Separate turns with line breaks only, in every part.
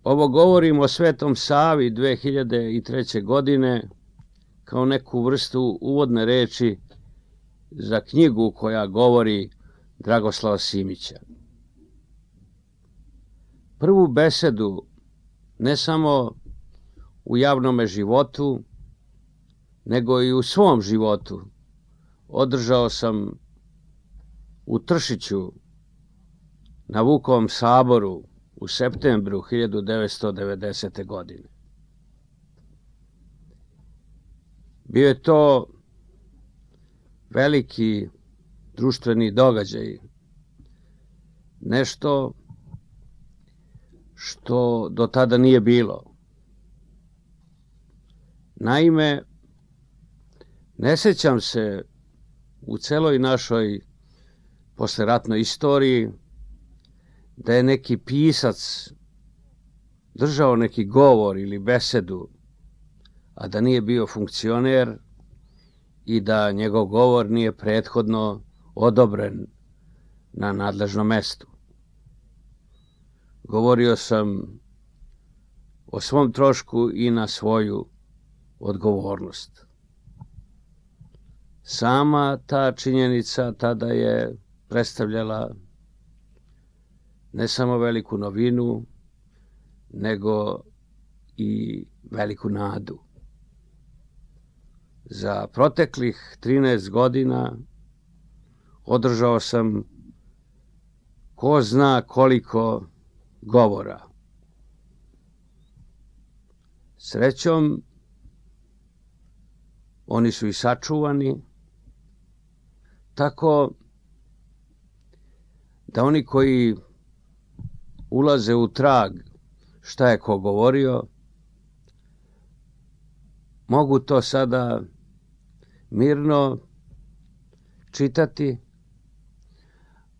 Ovo govorim o Svetom Savi 2003. godine kao neku vrstu uvodne reči za knjigu koja govori Dragoslava Simića. Prvu besedu, ne samo u javnome životu, nego i u svom životu, održao sam u Tršiću na Vukovom saboru u septembru 1990. godine. Bio je to veliki društveni događaj, nešto što do tada nije bilo. Naime, ne sećam se u celoj našoj posleratnoj istoriji da je neki pisac držao neki govor ili besedu, a da nije bio funkcioner i da njegov govor nije prethodno odobren na nadležnom mestu. Govorio sam o svom trošku i na svoju odgovornost. Sama ta činjenica tada je predstavljala ne samo veliku novinu, nego i veliku nadu. Za proteklih 13 godina održao sam ko zna koliko govora. Srećom, oni su i sačuvani, tako da oni koji ulaze u trag šta je ko govorio, mogu to sada mirno čitati,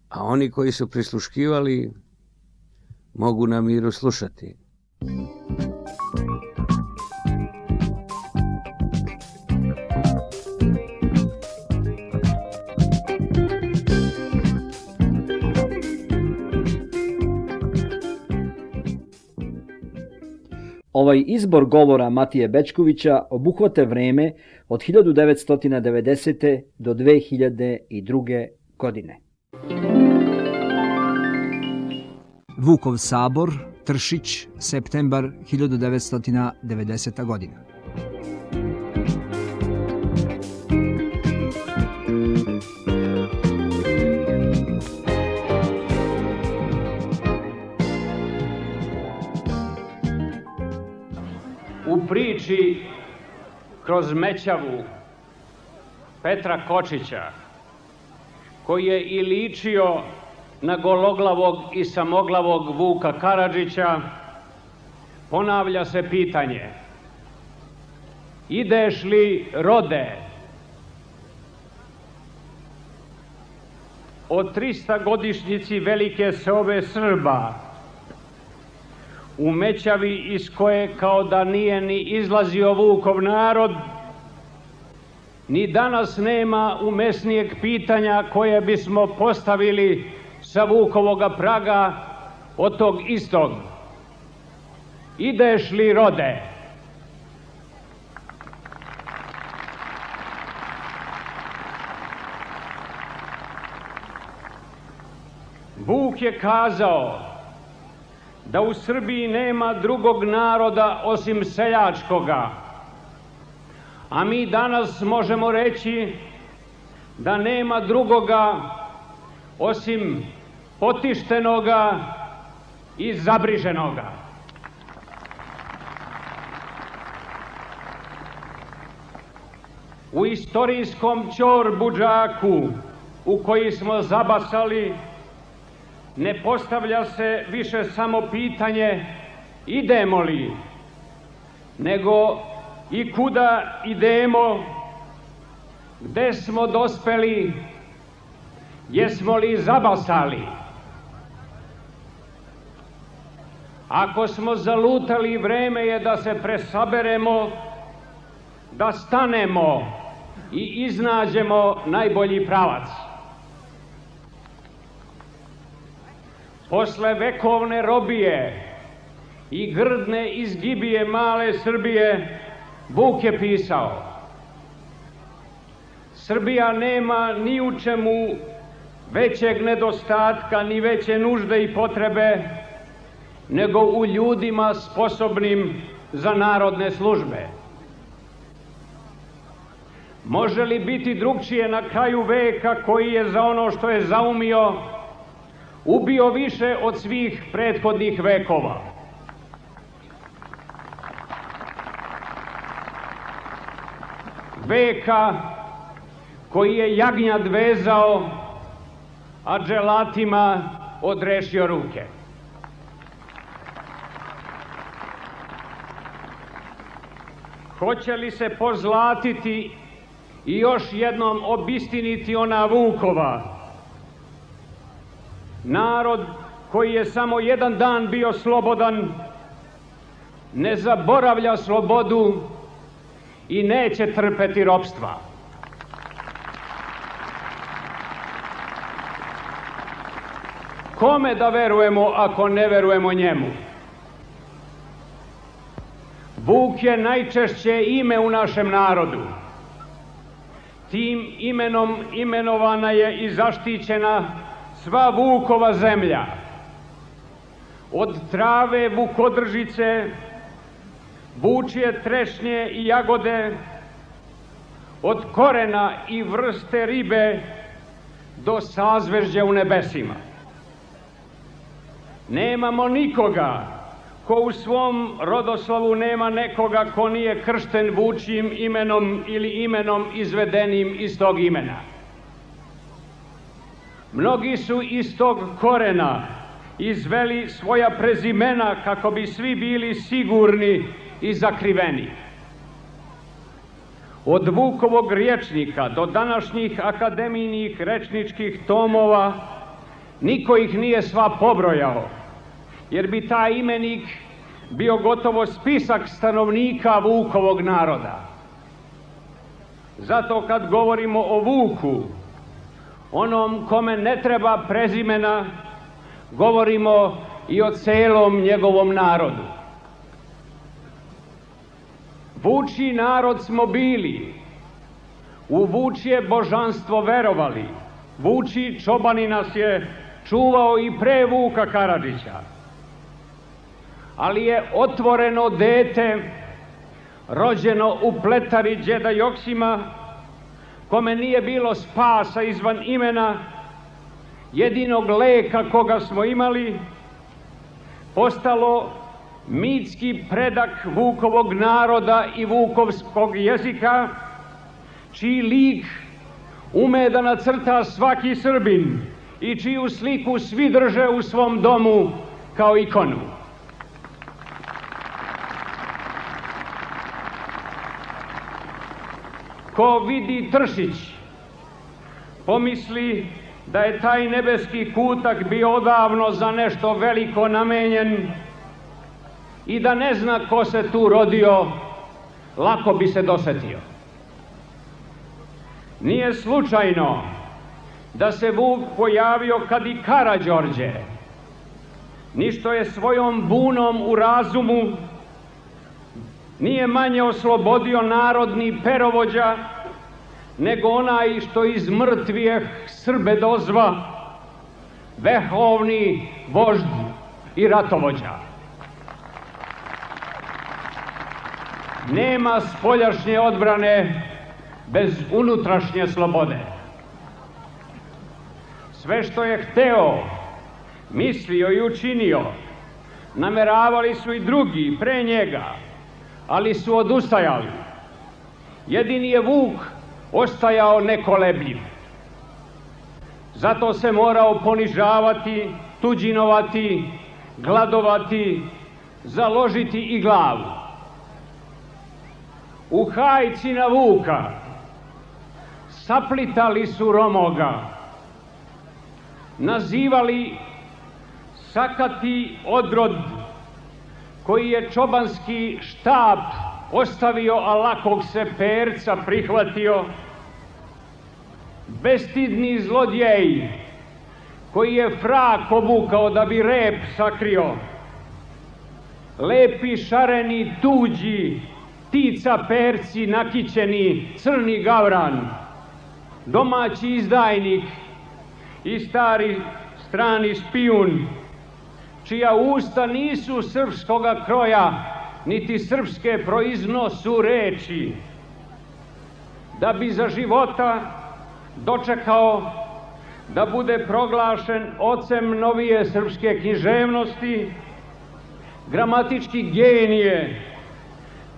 a oni koji su prisluškivali mogu na miru slušati.
Ovaj izbor govora Matije Bećkovića obuhvata vreme od 1990. do 2002. godine. Vukov sabor, Tršić, septembar 1990. godina.
U priči Kroz Mećavu Petra Kočića, koji je i ličio na gologlavog i samoglavog Vuka Karadžića, ponavlja se pitanje: ideš li, rode? O 300-godišnjici velike seobe Srba u Mećavi, iz koje kao da nije ni izlazio Vukov narod, ni danas nema umesnijeg pitanja koje bismo postavili sa Vukovoga praga od tog istog: ideš li, rode? Vuk je kazao da u Srbiji nema drugog naroda osim seljačkoga, a mi danas možemo reći da nema drugoga osim potištenoga i zabriženoga. U istorijskom ćorbudžaku u koji smo zabasali ne postavlja se više samo pitanje idemo li, nego i kuda idemo, gde smo dospeli, jesmo li zabasali. Ako smo zalutali, vreme je da se presaberemo, da stanemo i iznađemo najbolji pravac. Posle vekovne robije i grdne izgibije male Srbije, Vuk je pisao: Srbija nema ni u čemu većeg nedostatka, ni veće nužde i potrebe, nego u ljudima sposobnim za narodne službe. Može li biti drugčije na kraju veka koji je za ono što je zaumio ubio više od svih prethodnih vekova? Veka koji je jagnjad vezao, a dželatima odrešio ruke. Hoće li se pozlatiti i još jednom obistiniti ona Vukova? Narod koji je samo jedan dan bio slobodan, ne zaboravlja slobodu i neće trpeti ropstva. Kome da verujemo ako ne verujemo njemu? Vuk je najčešće ime u našem narodu. Tim imenom imenovana je i zaštićena sva Vukova zemlja. Od trave vukodržice, vučje trešnje i jagode, od korena i vrste ribe do sazvežđa u nebesima. Nemamo nikoga ko u svom rodoslovu nema nekoga ko nije kršten vučjim imenom ili imenom izvedenim iz tog imena. Mnogi su iz tog korena izveli svoja prezimena kako bi svi bili sigurni i zakriveni. Od Vukovog rječnika do današnjih akademijnih rečničkih tomova niko ih nije sva pobrojao, jer bi taj imenik bio gotovo spisak stanovnika Vukovog naroda. Zato kad govorimo o Vuku, onom kome ne treba prezimena, govorimo i o celom njegovom narodu. Vučji narod smo bili, u vučje božanstvo verovali, vučji čobani nas je čuvao i pre Vuka Karadžića. Ali je otvoreno dete, rođeno u pletari đeda Joksima, kome nije bilo spasa izvan imena, jedinog leka koga smo imali, postalo mitski predak Vukovog naroda i vukovskog jezika, čiji lik ume da nacrta svaki Srbin i čiju sliku svi drže u svom domu kao ikonu. Ko vidi Tršić, pomisli da je taj nebeski kutak bio odavno za nešto veliko namenjen i da ne zna ko se tu rodio, lako bi se dosetio. Nije slučajno da se Vuk pojavio kad i Karađorđe, ni što je svojom bunom u razumu nije manje oslobodio narodni perovođa, nego onaj što iz mrtvijeh Srbe dozva vehovni vožd i ratovođa. Nema spoljašnje odbrane bez unutrašnje slobode. Sve što je hteo, mislio i učinio, nameravali su i drugi pre njega, ali su odustajali. Jedini je Vuk ostajao nekolebljiv. Zato se morao ponižavati, tuđinovati, gladovati, založiti i glavu. U hajci na Vuka saplitali su Romoga, nazivali sakati odrod koji je čobanski štab ostavio, a lakog se perca prihvatio, bestidni zlodjej koji je frak obukao da bi rep sakrio, lepi šareni tuđi, ptica perci nakićeni, crni gavran, domaći izdajnik i stari strani špijun, čija usta nisu srpskoga kroja, niti srpske proiznosu reči, da bi za života dočekao da bude proglašen ocem novije srpske književnosti, gramatički genije,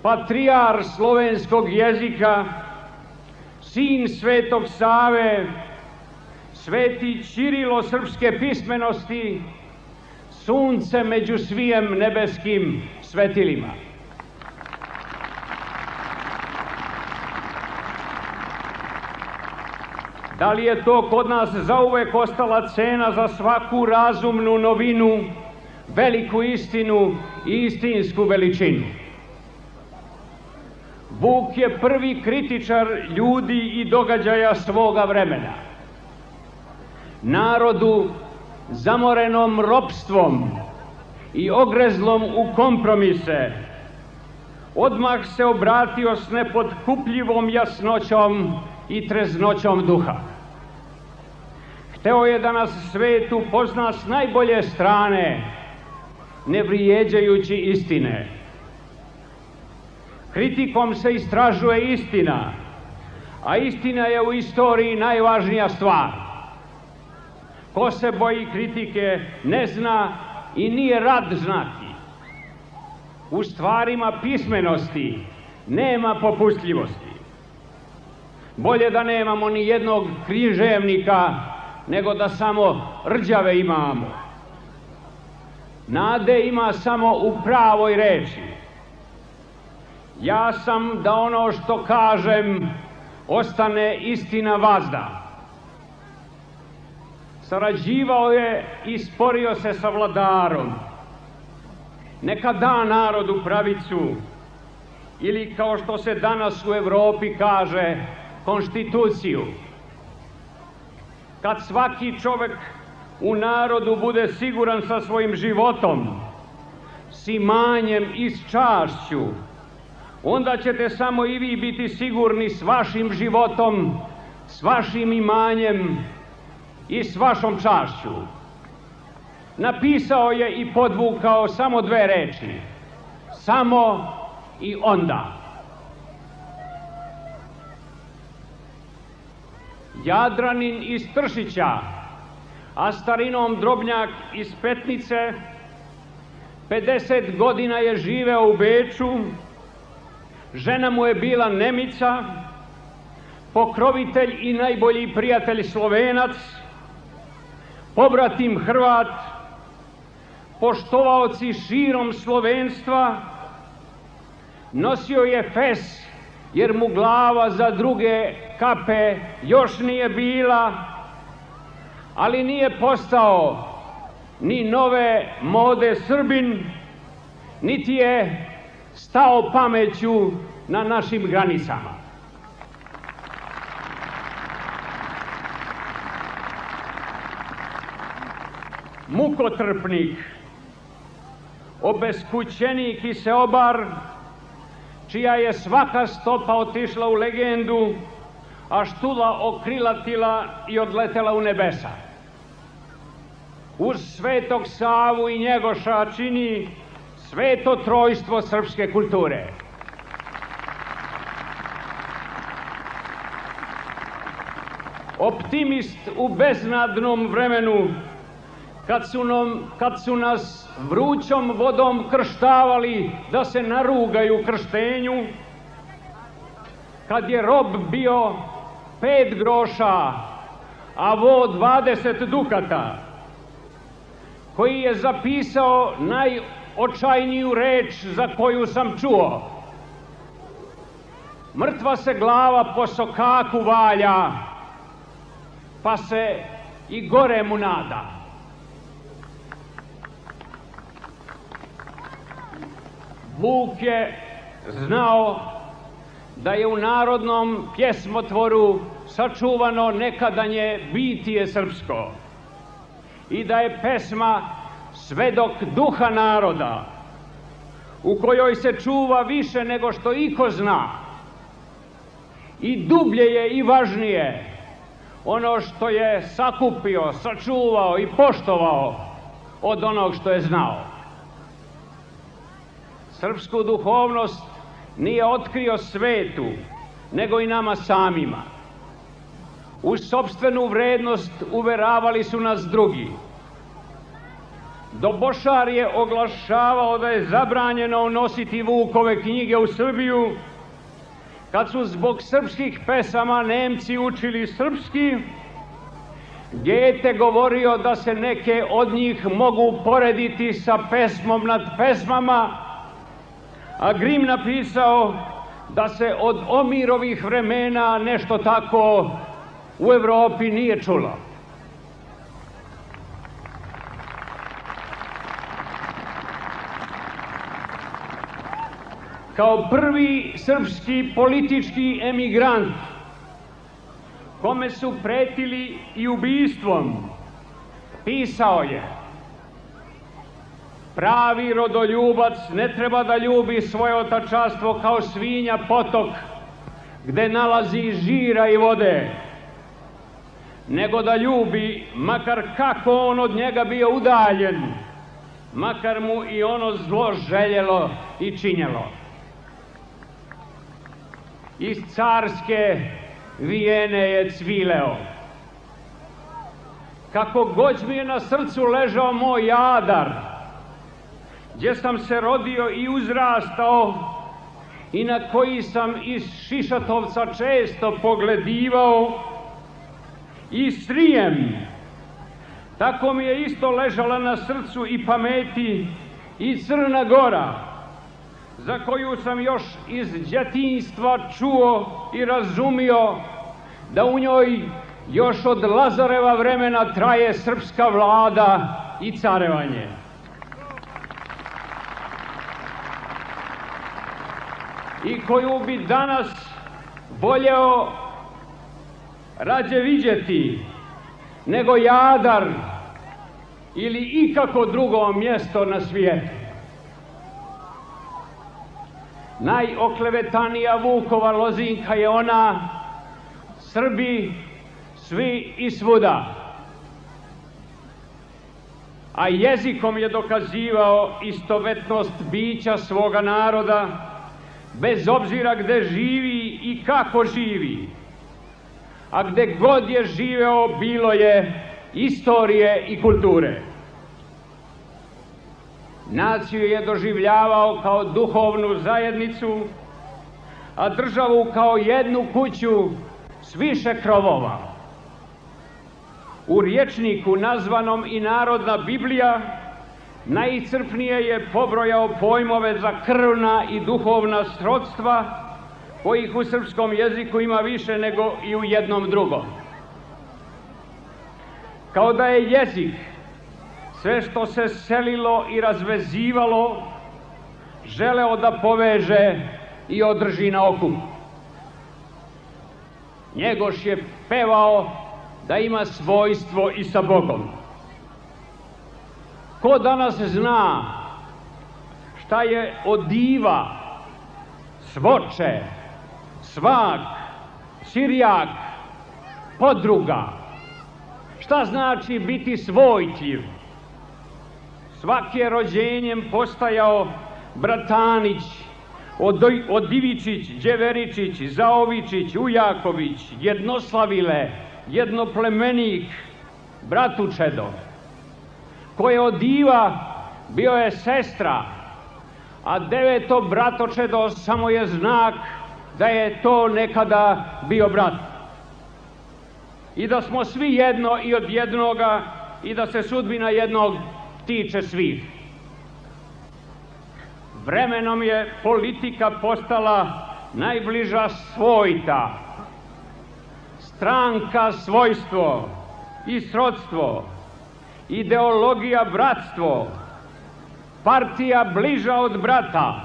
patrijar slovenskog jezika, sin Svetog Save, sveti Ćirilo srpske pismenosti, sunce među svijem nebeskim svetilima. Da li je to kod nas zauvek ostala cena za svaku razumnu novinu, veliku istinu i istinsku veličinu? Vuk je prvi kritičar ljudi i događaja svoga vremena. Narodu zamorenom ropstvom i ogrezlom u kompromise, odmah se obratio s nepotkupljivom jasnoćom i treznoćom duha. Hteo je da nas svet upozna s najbolje strane, ne vrijeđajući istine. Kritikom se istražuje istina, a istina je u istoriji najvažnija stvar. Ko se boji kritike ne zna i nije rad znati. U stvarima pismenosti nema popustljivosti. Bolje da nemamo ni jednog književnika, nego da samo rđave imamo. Nade ima samo u pravoj reči. Ja sam da ono što kažem ostane istina vazda. Sarađivao je i sporio se sa vladarom. Neka da narodu pravicu, ili kao što se danas u Evropi kaže, konstituciju. Kad svaki čovek u narodu bude siguran sa svojim životom, s imanjem i s čašću, onda ćete samo i vi biti sigurni s vašim životom, s vašim imanjem i s vašom čašću. Napisao je i podvukao samo dve reči: samo i onda. Jadranin iz Tršića, a starinom Drobnjak iz Petnice, 50 godina je živeo u Beču, žena mu je bila Nemica, pokrovitelj i najbolji prijatelj Slovenac, pobratim Hrvat, poštovaoci širom slovenstva. Nosio je fes, jer mu glava za druge kape još nije bila, ali nije postao ni nove mode Srbin, niti je stao pameću na našim granicama. Mukotrpnik, obeskućenik i seobar, čija je svaka stopa otišla u legendu, a štula okrilatila i odletela u nebesa. Uz Svetog Savu i Njegoša čini sveto trojstvo srpske kulture. Optimist u beznadnom vremenu, kad su nas vrućom vodom krštavali da se narugaju krštenju, kad je rob bio 5 groša, a vo 20 dukata, koji je zapisao najočajniju reč za koju sam čuo: mrtva se glava po sokaku valja, pa se i gore mu nada. Vuk je znao da je u narodnom pjesmotvoru sačuvano nekadanje bitije srpsko i da je pesma svedok duha naroda, u kojoj se čuva više nego što iko zna. I dublje je i važnije ono što je sakupio, sačuvao i poštovao od onog što je znao. Srpsku duhovnost nije otkrio svetu, nego i nama samima. U sopstvenu vrednost uveravali su nas drugi. Dobošar je oglašavao da je zabranjeno unositi Vukove knjige u Srbiju, kad su zbog srpskih pesama Nemci učili srpski. Gete govorio da se neke od njih mogu porediti sa pesmom nad pesmama, a Grim napisao da se od Omirovih vremena nešto tako u Evropi nije čulo. Kao prvi srpski politički emigrant, kome su pretili i ubistvom, pisao je: pravi rodoljubac ne treba da ljubi svoje otačanstvo kao svinja potok gde nalazi žira i vode, nego da ljubi, makar kako on od njega bio udaljen, makar mu i ono zlo željelo i činjelo. Iz carske Vijene je cvileo: kako god mi je na srcu ležao moj Jadar, gdje sam se rodio i uzrastao i na koji sam iz Šišatovca često pogledivao, i Srijem, tako mi je isto ležala na srcu i pameti i Crna Gora, za koju sam još iz djetinjstva čuo i razumio da u njoj još od Lazareva vremena traje srpska vlada i carevanje. I koju bi danas voljeo rađe vidjeti nego Jadar ili ikako drugo mjesto na svijetu. Najoklevetanija Vukova lozinka je ona: Srbi svi i svuda. A jezikom je dokazivao istovetnost bića svoga naroda, bez obzira gde živi i kako živi. A gde god je živeo, bilo je istorije i kulture. Naciju je doživljavao kao duhovnu zajednicu, a državu kao jednu kuću s više krovova. U rječniku nazvanom i Narodna Biblija najiscrpnije je pobrojao pojmove za krvna i duhovna srodstva, kojih u srpskom jeziku ima više nego i u jednom drugom. Kao da je jezik sve što se selilo i razvezivalo želeo da poveže i održi na okupu. Njegoš je pevao da ima svojstvo i sa Bogom. Ko danas zna šta je odiva, svoče, svak, sirjak, podruga? Šta znači biti svojtljiv? Svaki je rođenjem postajao Bratanić, Odivičić, Đeveričić, Zaovičić, Ujaković, Jednoslavile, Jednoplemenik, Bratučedo. Ko je od diva, bio je sestra, a deveto bratočedo samo je znak da je to nekada bio brat. I da smo svi jedno i od jednoga i da se sudbina jednog tiče svih. Vremenom je politika postala najbliža svojta, stranka svojstvo i srodstvo, ideologija bratstvo, partija bliža od brata,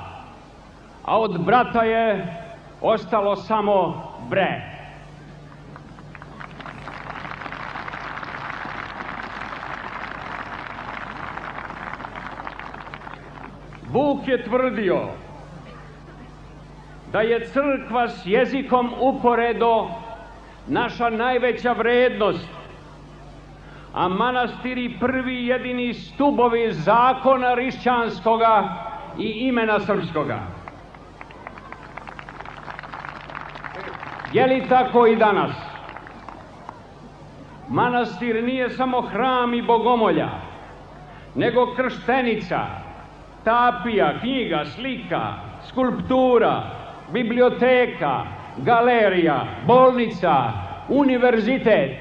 a od brata je ostalo samo bre. Vuk je tvrdio da je crkva s jezikom uporedo naša najveća vrednost, a manastiri prvi jedini stubovi zakona hrišćanskoga i imena srpskoga. Je li tako i danas? Manastir nije samo hram i bogomolja, nego krštenica, tapija, knjiga, slika, skulptura, biblioteka, galerija, bolnica, univerzitet.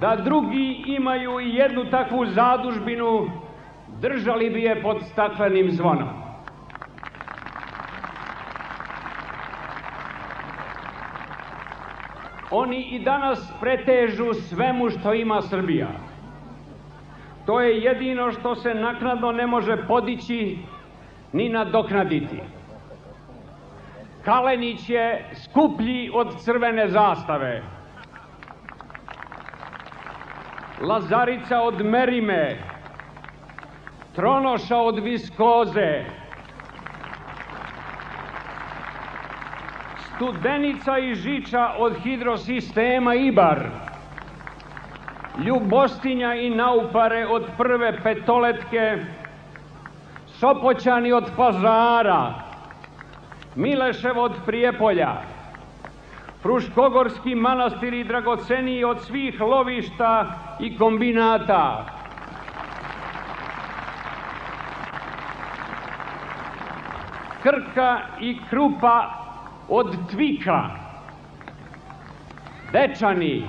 Da drugi imaju i jednu takvu zadužbinu, držali bi je pod staklenim zvonom. Oni i danas pretežu svemu što ima Srbija. To je jedino što se naknadno ne može podići ni nadoknaditi. Kalenić je skuplji od crvene zastave. Lazarica od merime, Tronoša od viskoze, Studenica i Žiča od hidrosistema Ibar, Ljubostinja i Naupare od prve Petoletke, Sopoćani od Pazara, Milešev od Prijepolja, Fruškogorski manastiri dragoceniji od svih lovišta i kombinata. Krka i Krupa od Tvika, Dečani,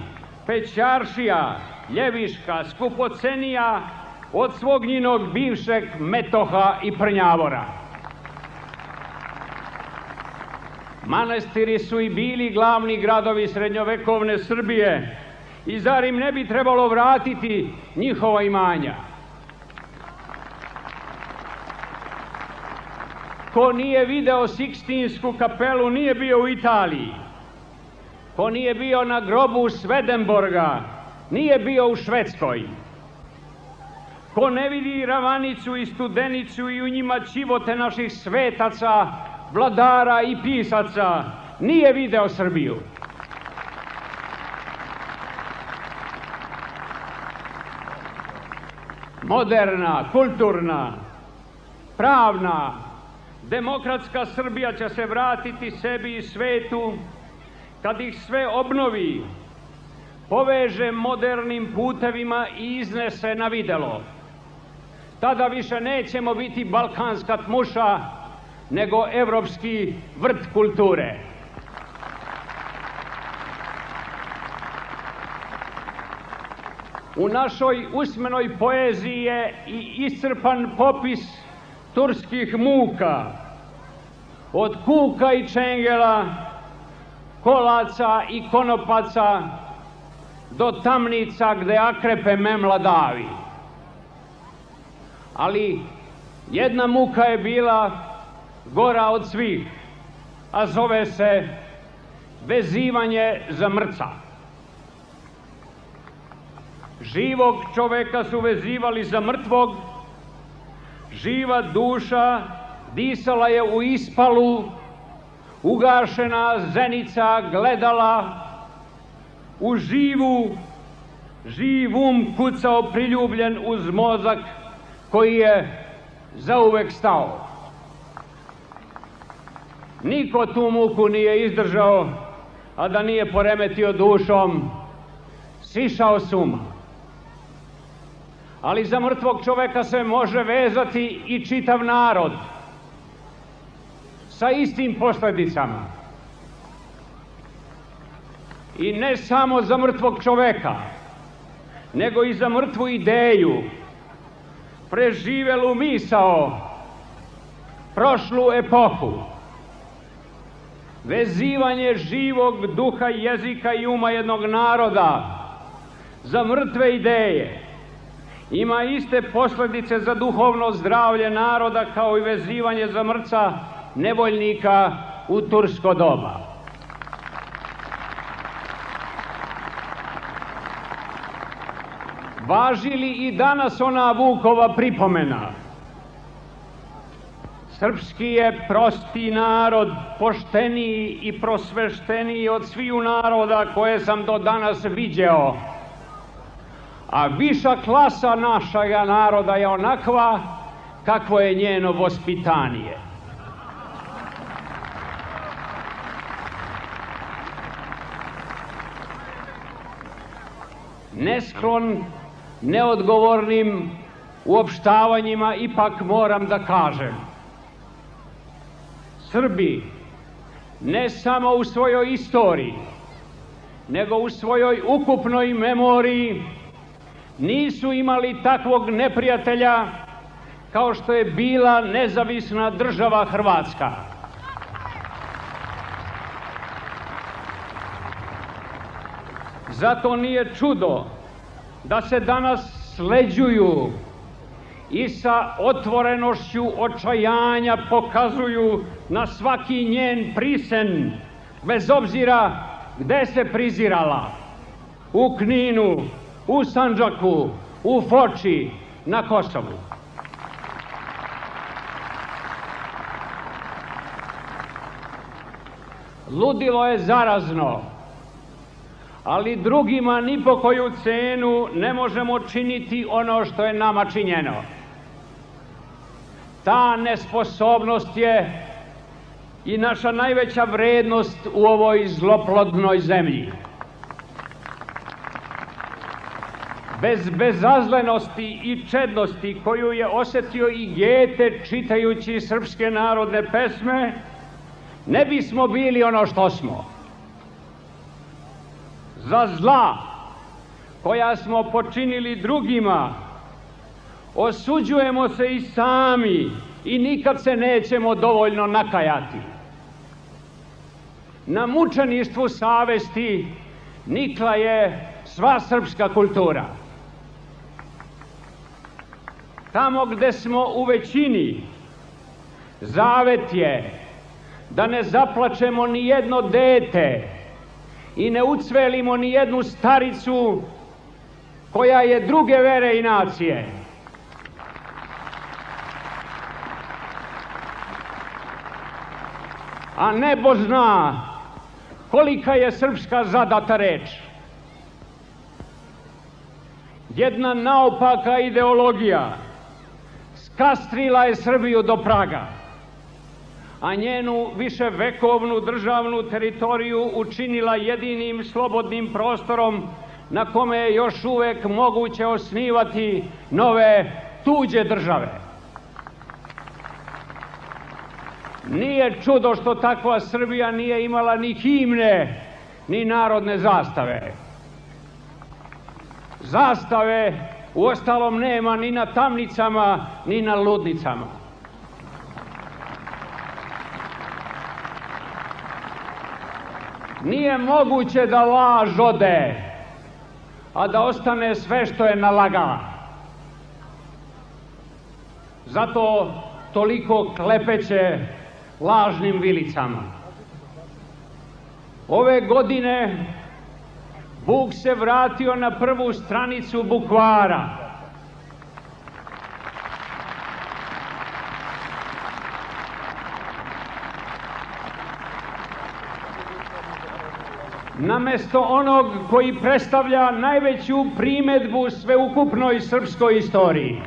Pećaršija, Ljeviška, skupocenija od svog njinog bivšeg Metoha i Prnjavora. Manastiri su i bili glavni gradovi srednjovekovne Srbije i zar im ne bi trebalo vratiti njihova imanja? Ko nije video Sikstinsku kapelu, nije bio u Italiji. Ko nije bio na grobu Svedenborga, nije bio u Švedskoj. Ko ne vidi Ravanicu i Studenicu i u njima ćivote naših svetaca, vladara i pisaca, nije video Srbiju. Moderna, kulturna, pravna, demokratska Srbija će se vratiti sebi i svetu kad ih sve obnovi, poveže modernim putevima i iznese na videlo. Tada više nećemo biti balkanska tmuša, nego evropski vrt kulture. U našoj usmenoj poeziji je i iscrpan popis turskih muka, od kuka i čengela, kolaca i konopaca, do tamnica gde akrepe memla davi. Ali jedna muka je bila gora od svih, a zove se vezivanje za mrca. Živog čoveka su vezivali za mrtvog, živa duša disala je u ispalu, ugašena zenica gledala, u živ kucao priljubljen uz mozak koji je zauvek stao. Niko tu muku nije izdržao, a da nije poremetio dušom, sišao s uma. Ali za mrtvog čoveka se može vezati i čitav narod sa istim posledicama. I ne samo za mrtvog čoveka, nego i za mrtvu ideju, preživelu misao, prošlu epohu. Vezivanje živog duha, jezika i uma jednog naroda za mrtve ideje ima iste posledice za duhovno zdravlje naroda kao i vezivanje za mrca nevoljnika u tursko doba. Važi li i danas ona Vukova pripomena? Srpski je prosti narod, pošteniji i prosvešteniji od sviju naroda koje sam do danas viđeo. A viša klasa našega naroda je onakva kakvo je njeno vaspitanje. Nesklon neodgovornim uopštavanjima ipak moram da kažem. Srbi ne samo u svojoj istoriji, nego u svojoj ukupnoj memoriji nisu imali takvog neprijatelja kao što je bila nezavisna država Hrvatska. Zato nije čudo da se danas sleđuju i sa otvorenošću očajanja pokazuju na svaki njen prisen, bez obzira gde se prizirala. U Kninu, u Sandžaku, u Foči, na Kosovu. Ludilo je zarazno, ali drugima ni po koju cenu ne možemo činiti ono što je nama činjeno. Ta nesposobnost je i naša najveća vrednost u ovoj zloplodnoj zemlji. Bez bezazlenosti i čednosti koju je osetio i Gete čitajući srpske narodne pesme, ne bismo bili ono što smo. Za zla koja smo počinili drugima osuđujemo se i sami i nikad se nećemo dovoljno nakajati. Na mučeništvu savesti nikla je sva srpska kultura. Tamo gde smo u većini, zavet je da ne zaplačemo ni jedno dete i ne ucvelimo ni jednu staricu koja je druge vere i nacije. A nebo zna kolika je srpska zadata reč. Jedna naopaka ideologija skastrila je Srbiju do praga, a njenu viševekovnu državnu teritoriju učinila jedinim slobodnim prostorom na kome je još uvek moguće osnivati nove tuđe države. Nije čudo što takva Srbija nije imala ni himne, ni narodne zastave. Zastave uostalom nema ni na tamnicama, ni na ludnicama. Nije moguće da laž ode, a da ostane sve što je nalagala. Zato toliko klepeće lažnim vilicama. Ove godine Buk se vratio na prvu stranicu bukvara. Namesto onog koji predstavlja najveću primedbu sveukupnoj srpskoj istoriji.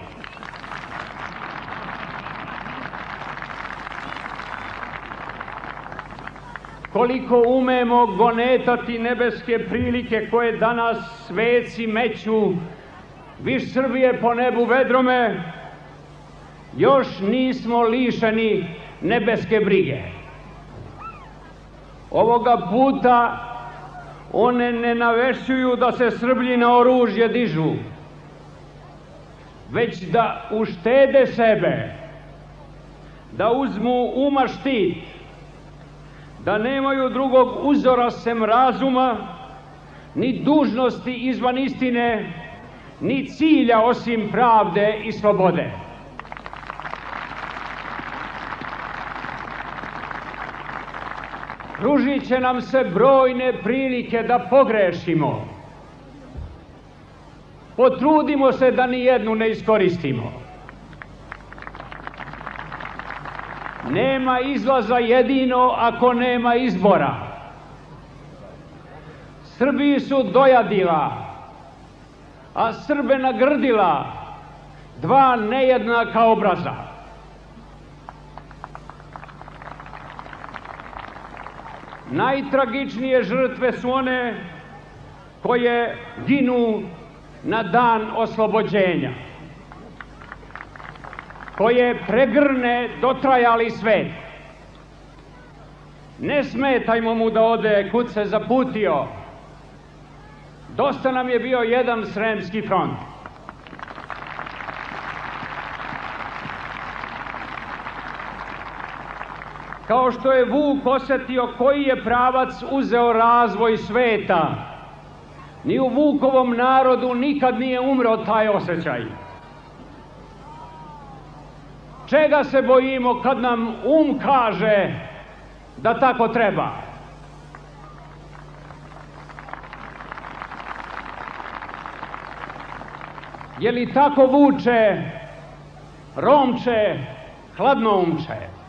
Koliko umemo gonetati nebeske prilike koje danas sveci meću viš Srbije po nebu vedrome, još nismo lišeni nebeske brige. Ovoga puta one ne navešćuju da se Srblji na oružje dižu, već da uštede sebe, da uzmu uma štit, da nemaju drugog uzora sem razuma, ni dužnosti izvan istine, ni cilja osim pravde i slobode. Pružit će nam se brojne prilike da pogrešimo. Potrudimo se da ni jednu ne iskoristimo. nema izlaza jedino ako nema izbora. Srbiji su dojadila, a Srbe nagrdila dva nejednaka obraza. Najtragičnije žrtve su one koje ginu na dan oslobođenja, koje pregrne dotrajali svet. Ne smetajmo mu da ode kud se zaputio. Dosta nam je bio jedan Sremski front. Kao što je Vuk osetio koji je pravac uzeo razvoj sveta, ni u Vukovom narodu nikad nije umro taj osjećaj. Čega se bojimo kad nam kaže da tako treba? Je li tako Vuče, Romče, Hladnoumče?